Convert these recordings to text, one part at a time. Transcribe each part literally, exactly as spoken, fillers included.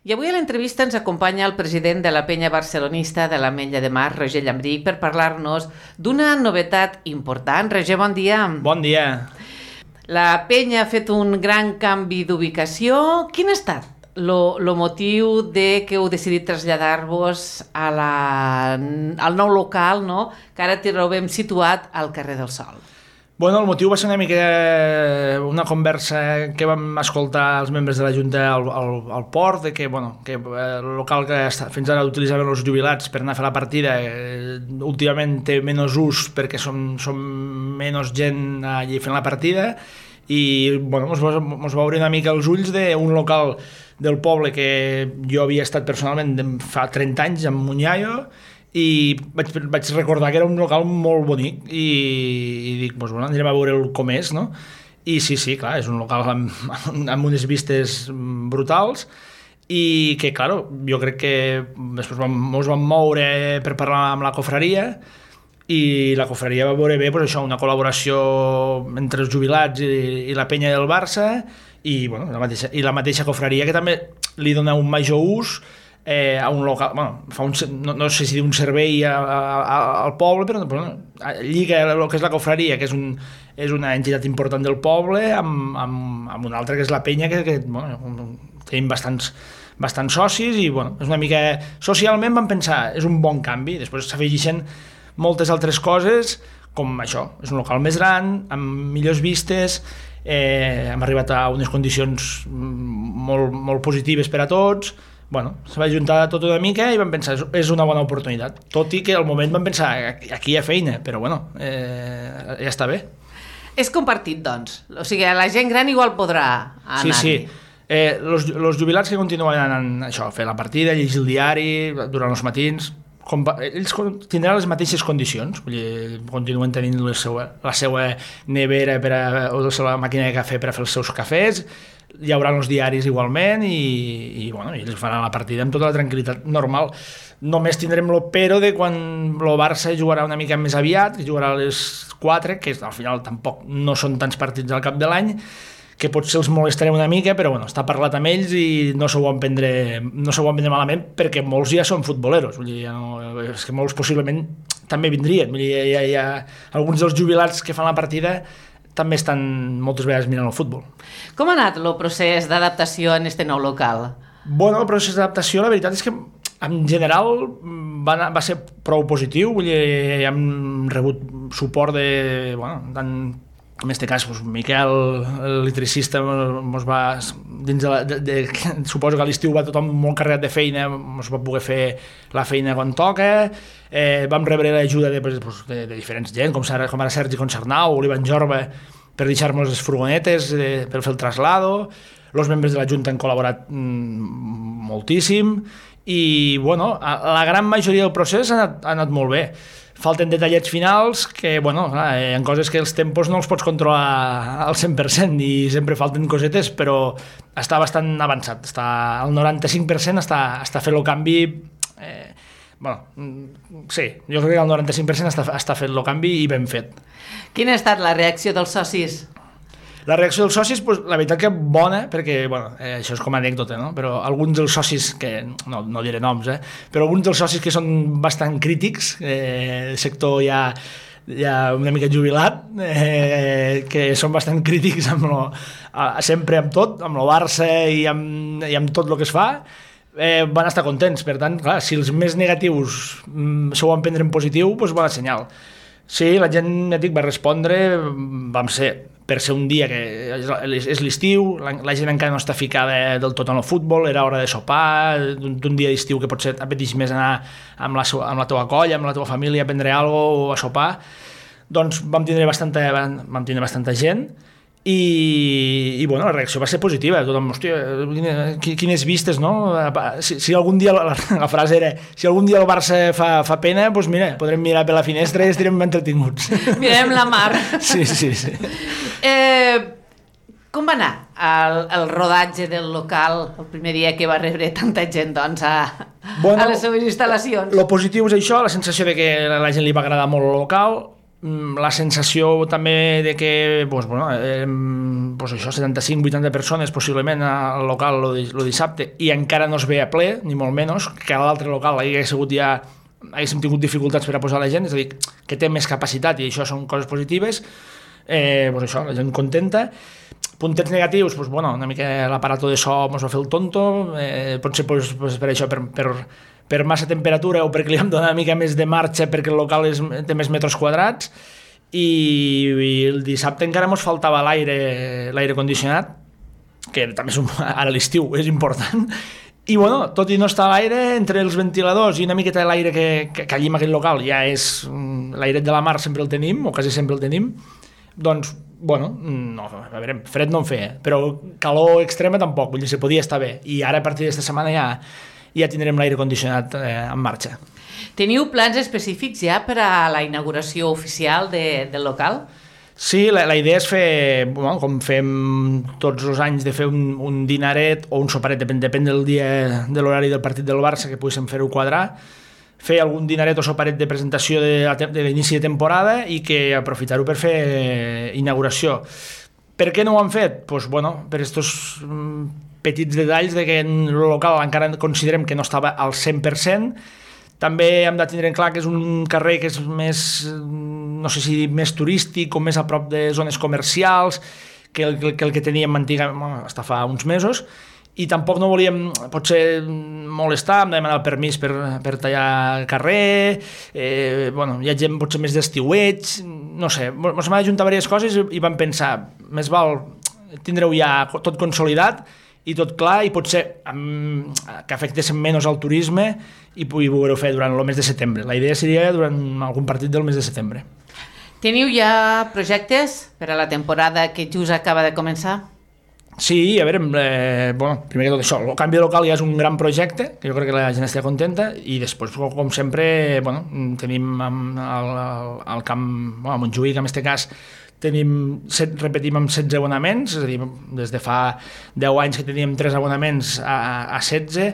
I avui a l'entrevista ens acompanya el president de la penya barcelonista de l'Ametlla de Mar, Roger Llambrich, per parlar-nos d'una novetat important. Roger, bon dia. Bon dia. La penya ha fet un gran canvi d'ubicació. Quin ha estat el motiu de que heu decidit traslladar-vos a la, al nou local, no? Que ara trobem situat al carrer del Sol? Bueno, el motiu va ser una mica una conversa que vam escoltar els membres de la Junta al, al, al port, de que, bueno, que el local que fins ara utilitzaven els jubilats per anar a fer la partida eh, últimament té menys ús perquè som, som menys gent allí fent la partida i bueno, mos va, mos va obrir una mica els ulls d'un local del poble que jo havia estat personalment fa trenta anys, amb Munyayo, i vaig, vaig recordar que era un local molt bonic i, i dic, doncs, bueno, anirem a veure com és, no? I sí, sí, clar, és un local amb, amb unes vistes brutals i que, clar, jo crec que després vam, ens vam moure per parlar amb la cofraria i la cofraria va veure bé, doncs, això, una col·laboració entre els jubilats i, i la penya del Barça i, bueno, la mateixa, i la mateixa cofraria que també li dona un major ús Eh, a un local, bueno, fa un, no, no sé si un servei a, a, al poble, però bueno, lliga el que és la cofraria, que és, un, és una entitat important del poble, amb, amb, amb una altra que és la penya, que, que bueno, tenim bastants, bastants socis i bueno, és una mica... Socialment vam pensar, és un bon canvi, després s'afegeixen moltes altres coses, com això, és un local més gran, amb millors vistes, eh, hem arribat a unes condicions molt, molt positives per a tots. Bueno, se va juntar tot una mica i vam pensar, és una bona oportunitat. Tot i que al moment vam pensar, aquí hi ha feina, però bueno, eh, ja està bé. És compartit, doncs. O sigui, la gent gran igual podrà anar-hi. Sí, sí. Eh, los, los jubilats que continuen anant això, a fer la partida, llegir el diari durant els matins, ells tindran les mateixes condicions, vull dir, continuen tenint la seva, la seva nevera per a, o la seva màquina de cafè per a fer els seus cafès, hi haurà els diaris igualment i, i bueno, ells faran la partida amb tota la tranquil·litat normal. Només tindrem el pero de quan el Barça jugarà una mica més aviat, que jugarà a les quatre, que al final tampoc no són tants partits al cap de l'any, que potser els molestarem una mica, però bueno, està parlat amb ells i no s'ho van prendre, no s'ho van prendre malament, perquè molts ja són futboleros, vull dir, ja no, és que molts possiblement també vindrien, vull dir, hi ha, hi ha alguns dels jubilats que fan la partida també estan moltes vegades mirant el futbol. Com ha anat el procés d'adaptació en este nou local? Bueno, el procés d'adaptació, la veritat és que en general va, anar, va ser prou positiu, vull dir, hem rebut suport de, bueno, tant, en aquest cas, doncs, Miquel, l'electricista, mos va, dins de, la, de, de, suposo que a l'estiu va tothom molt carregat de feina, ens va poder fer la feina quan toca, eh, vam rebre l'ajuda de, de, de, de diferents gent, com, com ara Sergi Concernau o l'Ivan Jorba, per deixar-nos les furgonetes eh, per fer el traslado. Els membres de la Junta han col·laborat mm, moltíssim i, bueno, a, a la gran majoria del procés ha anat, ha anat molt bé. Falten detallets finals que, bueno, clar, hi ha coses que els tempos no els pots controlar al cent per cent i sempre falten cosetes, però està bastant avançat. Està al noranta-cinc per cent està, està fent el canvi... Eh, bueno, sí, jo crec que al noranta-cinc per cent està, està fent el canvi i ben fet. Quina ha estat la reacció dels socis? La reacció dels socis, pues, la veritat que bona, perquè, bueno, eh, això és com a anècdota, no? Però alguns dels socis, que no, no diré noms, eh, però alguns dels socis que són bastant crítics, eh, el sector ja, ja una mica jubilat, eh, que són bastant crítics amb lo, sempre amb tot, amb el Barça i amb, i amb tot el que es fa, eh, van estar contents. Per tant, clar, si els més negatius mm, s'ho van prendre en positiu, doncs bona senyal. Sí, la gent, ja dic, va respondre, vam ser... per ser un dia que és l'estiu, la gent encara no està ficada del tot en el futbol, era hora de sopar, d'un dia d'estiu que potser apeteix més anar amb la, amb la teva colla, amb la teva família, a prendre alguna cosa o a sopar, doncs vam tindre bastanta, vam tindre bastanta gent i, i bueno, la reacció va ser positiva, tothom, hòstia, quines vistes, no? Si, si algun dia, la, la frase era, si algun dia el Barça fa, fa pena, doncs mira, podrem mirar per la finestra i estarem entretinguts. Mirem la mar. Sí, sí, sí. Eh, com va anar el, el rodatge del local el primer dia que va rebre tanta gent, doncs, a, bueno, a les seves instal·lacions? Lo positiu és això, la sensació de que a la gent li va agradar molt el local. la sensació també de que pues, bueno, eh, pues això, setanta-cinc vuitanta persones possiblement al local el dissabte i encara no es ve a ple, ni molt menys, que a l'altre local hagués sigut ja haguéssim tingut dificultats per a posar la gent, és a dir, que té més capacitat i això són coses positives, eh, pues això, la gent contenta. Puntets negatius, pues, bueno, una mica l'aparato de so mos va fer el tonto, eh, potser pues, pues, per això, per, per, per massa temperatura o perquè li hem donat una mica més de marxa perquè el local és, té més metres quadrats i, i el dissabte encara ens faltava l'aire l'aire condicionat, que també és un, ara l'estiu és important, i bueno, tot i no estar a l'aire, entre els ventiladors i una miqueta de l'aire que, que, que allí en aquest local ja és l'airet de la mar, sempre el tenim, o quasi sempre el tenim, doncs, bueno, no, a veure, fred no en feia, però calor extrema tampoc, vull dir, se podia estar bé, i ara a partir d'esta setmana ja ja tindrem l'aire condicionat eh, en marxa. Teniu plans específics ja per a la inauguració oficial de, del local? Sí, la, la idea és fer, bueno, com fem tots els anys, de fer un, un dinaret o un soparet, depèn, depèn del dia, de l'horari del partit del Barça, que poguéssim fer-ho quadrar, fer algun dinaret o soparet de presentació de, de l'inici de temporada i que aprofitar-ho per fer inauguració. Per què no ho han fet? Pues, bueno, per estos petits detalls de que en el local encara considerem que no estava al cent per cent. També hem de tindre en clar que és un carrer que és més, no sé si més turístic o més a prop de zones comercials que el que, el que teníem antigament, bueno, hasta fa uns mesos, i tampoc no volíem potser molestar, hem de demanar el permís per, per tallar el carrer, eh, bueno, hi ha gent potser més d'estiueig, no sé, ens hem d'ajuntar diverses coses i vam pensar, més val tindreu ja tot consolidat i tot clar, i potser um, que afectés menys al turisme i poder-ho fer durant el mes de setembre. La idea seria durant algun partit del mes de setembre. Teniu ja projectes per a la temporada que just acaba de començar? Sí, a veure, eh, bueno, primer que tot això, el canvi de local ja és un gran projecte, que jo crec que la gent estarà contenta, i després, com sempre, bueno, tenim al, al camp, bueno, a Montjuïc, en aquest cas, tenim, set, repetim amb setze abonaments, és a dir, des de fa deu anys que teníem tres abonaments a, a setze,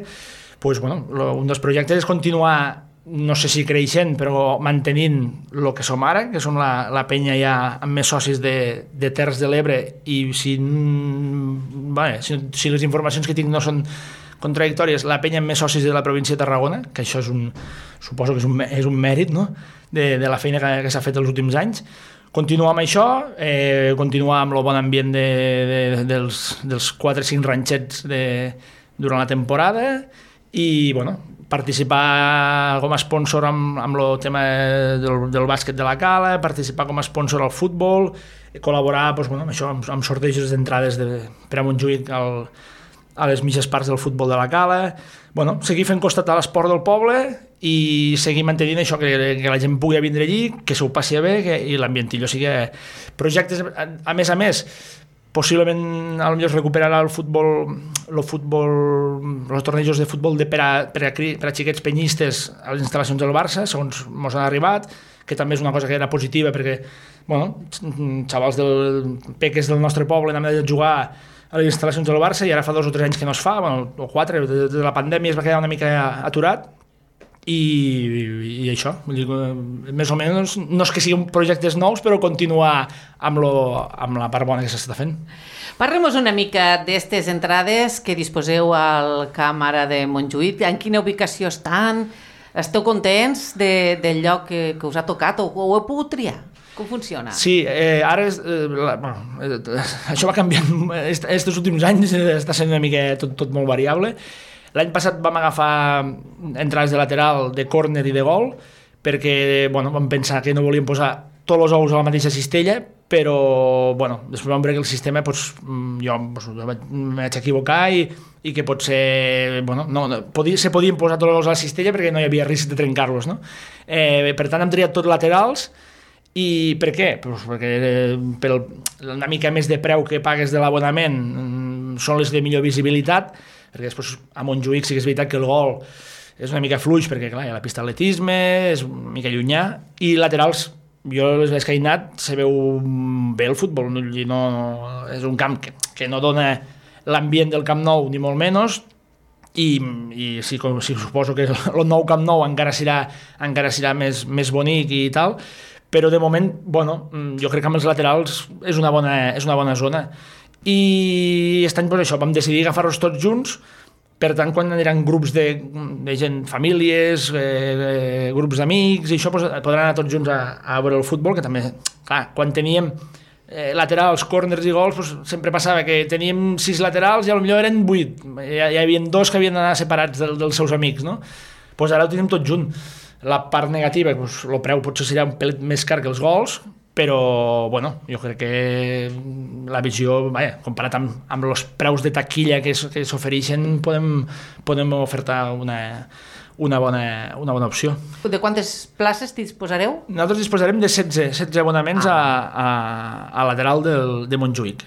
doncs, bueno, lo, un dels projectes és continuar, no sé si creixent, però mantenint el que som ara, que som la, la penya ja amb més socis de, de Terres de l'Ebre, i si, bé, si, si les informacions que tinc no són contradictòries, la penya amb més socis de la província de Tarragona, que això és un, suposo que és un, és un mèrit, no?, de, de la feina que, que s'ha fet els últims anys. Continuar amb això, eh, continuar amb el bon ambient de, de, dels, dels quatre o cinc ranxets de, durant la temporada, i, bueno, participar com a sponsor amb, amb el tema del, del bàsquet de la Cala, participar com a sponsor al futbol, col·laborar doncs, bueno, amb, això, amb, amb sortejos d'entrades de, per a Montjuïc al, a les mitges parts del futbol de la Cala, bueno, seguir fent costat a l'esport del poble i seguir mantenint això, que, que la gent pugui vindre allí, que s'ho passi bé, que, i l'ambientillo sigui projectes, a, a més a més, possiblement a lo millor recuperarà el futbol, el futbol, els tornejos de futbol de per, a, per, a, per a xiquets penyistes a les instal·lacions del Barça, segons ens han arribat, que també és una cosa que era positiva perquè, bueno, xavals del peques del nostre poble anaven a jugar a les instal·lacions del Barça i ara fa dos o tres anys que no es fa, bueno, o quatre, de, de la pandèmia es va quedar una mica aturat. I, i, i això, vull dir, més o menys, no és que siguin projectes nous, però continuar amb, lo, amb la part bona que s'està fent. Parlem-nos una mica d'aquestes entrades que disposeu al camp ara de Montjuïc. En quina ubicació estan? Esteu contents de, del lloc que, que us ha tocat o, o heu pogut triar? Com funciona? Sí, eh, ara és, eh, la, bueno, eh, això va canviant, aquests últims anys està sent una mica tot, tot molt variable. L'any passat vam agafar entrades de lateral, de córner i de gol, perquè bueno, vam pensar que no volíem posar tots els ous a la mateixa cistella, però bueno, després vam veure que el sistema doncs, jo, doncs, jo em vaig equivocar i, i que potser bueno, no, podia, se podien posar tots els ous a la cistella perquè no hi havia risc de trencar-los. No? Eh, per tant, hem triat tots laterals. I per què? Pues perquè per el, una mica més de preu que pagues de l'abonament són les de millor visibilitat, perquè després a Montjuïc sí que és veritat que el gol és una mica fluix perquè clar, hi ha la pista d'atletisme, és una mica llunyà, i laterals, jo les veig que he anat, se veu bé el futbol, no, no, és un camp que, que no dona l'ambient del Camp Nou ni molt menys, i, i sí, com, sí, suposo que el nou Camp Nou encara serà, encara serà més, més bonic i tal, però de moment, bueno, jo crec que amb els laterals és una bona, és una bona zona. I aquest any, pues, això, vam decidir agafar-los tots junts. Per tant, quan aniran grups de, de gent, famílies, eh, eh, grups d'amics, i això, pues, podran anar tots junts a, a veure el futbol, que també, clar, quan teníem eh, laterals, corners i gols, pues, sempre passava que teníem sis laterals i potser eren vuit. Hi, hi havia dos que havien d'anar separats del, dels seus amics, no? Pues ara ho tenim tot junt. La part negativa, pues, el preu potser serà un pelet més car que els gols, però, bueno, jo crec que la visió, vaja, comparat amb, amb els preus de taquilla que, que s'ofereixen, podem, podem ofertar una, una, bona, una bona opció. De quantes places disposareu? Nosaltres disposarem de setze, setze abonaments ah. a, a, a lateral del, de Montjuïc.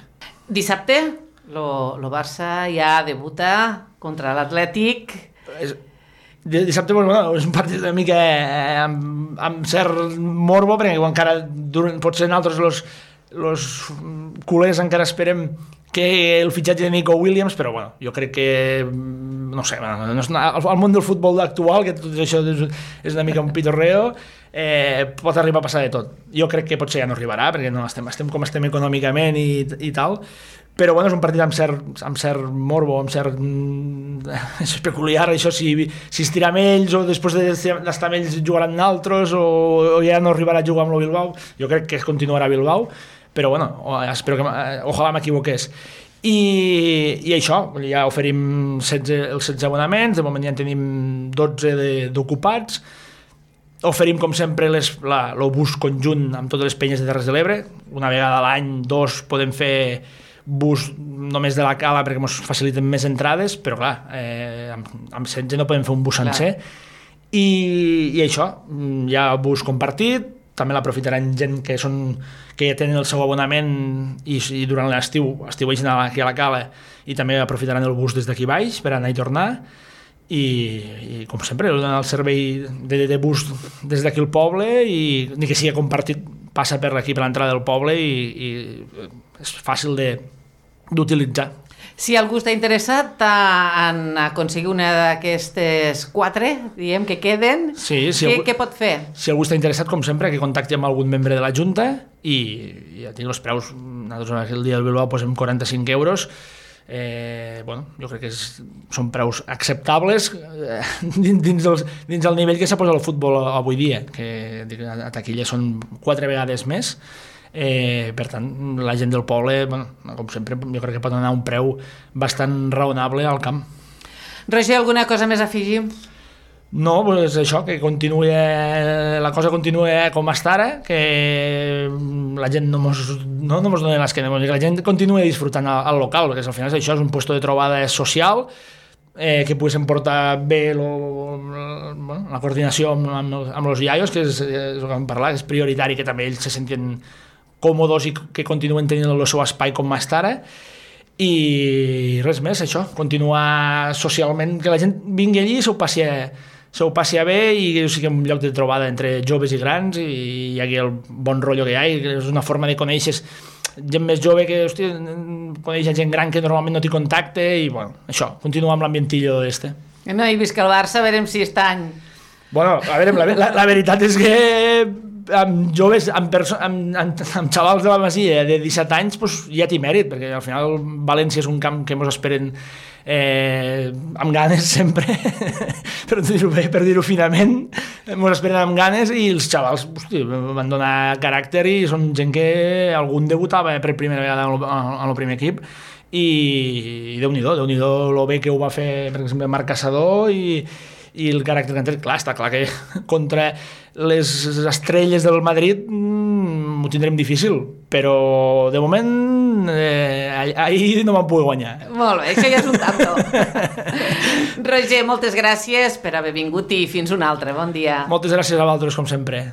Dissabte, el Barça ja debuta contra l'Atlètic. És... Dissabte, bueno, és un partit una mica eh, amb, amb cert morbo, perquè encara durant, potser nosaltres los, los culers encara esperem que el fitxatge de Nico Williams, però bueno, jo crec que no sé, no és, el món del futbol actual, que tot això és, és una mica un pitorreo, eh, pot arribar a passar de tot. Jo crec que potser ja no arribarà, perquè no estem, estem com estem econòmicament i, i tal, però bueno, és un partit amb cert, amb cert morbo, amb cert és peculiar, això, si, si es tira amb ells o després d'estar amb ells jugaran altres o, o ja no arribarà a jugar amb el Bilbao. Jo crec que es continuarà a Bilbao, però bueno, espero que ojalà m'equivoqués. I, i això, ja oferim setze, els setze abonaments, de moment ja en tenim dotze d'ocupats. Oferim, com sempre, les, la, el bus conjunt amb totes les penyes de Terres de l'Ebre. Una vegada a l'any, dos, podem fer bus només de la Cala perquè ens faciliten més entrades, però clar, eh, amb, amb setze no podem fer un bus sencer. I, i això, hi ha bus compartit, també l'aprofitaran gent que són que ja tenen el seu abonament i, i durant l'estiu estiueixen aquí a la Cala i també aprofitaran el bus des d'aquí baix per anar i tornar. I, i com sempre, el servei de, de bus des d'aquí al poble i ni que sigui compartit passa per aquí per l'entrada del poble i, i és fàcil d'utilitzar. Si algú està interessat en aconseguir una d'aquestes quatre, diguem, que queden, sí, si què, algú, què pot fer? Si algú està interessat, com sempre, que contacti amb algun membre de la Junta i, i ja tinc els preus, nosaltres el dia del Bilbao posem quaranta-cinc euros, eh, bueno, jo crec que és, són preus acceptables eh, dins, dels, dins del nivell que s'ha posat el futbol avui dia, que a taquilla són quatre vegades més. Eh, per tant, la gent del poble, bueno, com sempre, jo crec que pot anar a un preu bastant raonable al camp. Roger, alguna cosa més a afegir? No, doncs això, que continuï, la cosa continuï com està ara, que la gent no mos, no, no mos doni l'esquena, que la gent continuï disfrutant al, al local, perquè al final això és un lloc de trobada social, eh, que poguéssim portar bé lo, lo, bueno, la coordinació amb, amb, amb els iaios, que és, és el que vam parlar, és prioritari que també ells se sentien còmodes i que continuen tenint el seu espai com està ara. I res més, això, continuar socialment, que la gent vingui allí i s'ho passi, s'ho passi bé i que sigui un lloc de trobada entre joves i grans i hi hagi el bon rotllo que hi ha, i és una forma de conèixer gent més jove que, hòstia, coneix gent gran que normalment no té contacte i, bueno, això, continuar amb l'ambientillo este. No, i visca el Barça, a veure si aquest any... Bueno, a veure, la, la, la veritat és que amb joves, amb, amb, amb, amb xavals de la Masia de disset anys, pues, ja té mèrit, perquè al final València és un camp que ens esperen eh, amb ganes sempre, per dir-ho bé, per dir-ho finament, ens esperen amb ganes i els xavals, hosti, van donar caràcter i són gent que algun debutava per primera vegada en el primer equip i, i Déu-n'hi-do, Déu-n'hi-do lo bé que ho va fer, per exemple, Marc Caçador i i el caràcter que han tret, clar, està clar que contra les estrelles del Madrid mmm, ho tindrem difícil, però de moment eh, ahir no vam poder guanyar. Molt bé, això ja és un tanto. Roger, moltes gràcies per haver vingut i fins un altre, bon dia. Moltes gràcies a vosaltres, com sempre.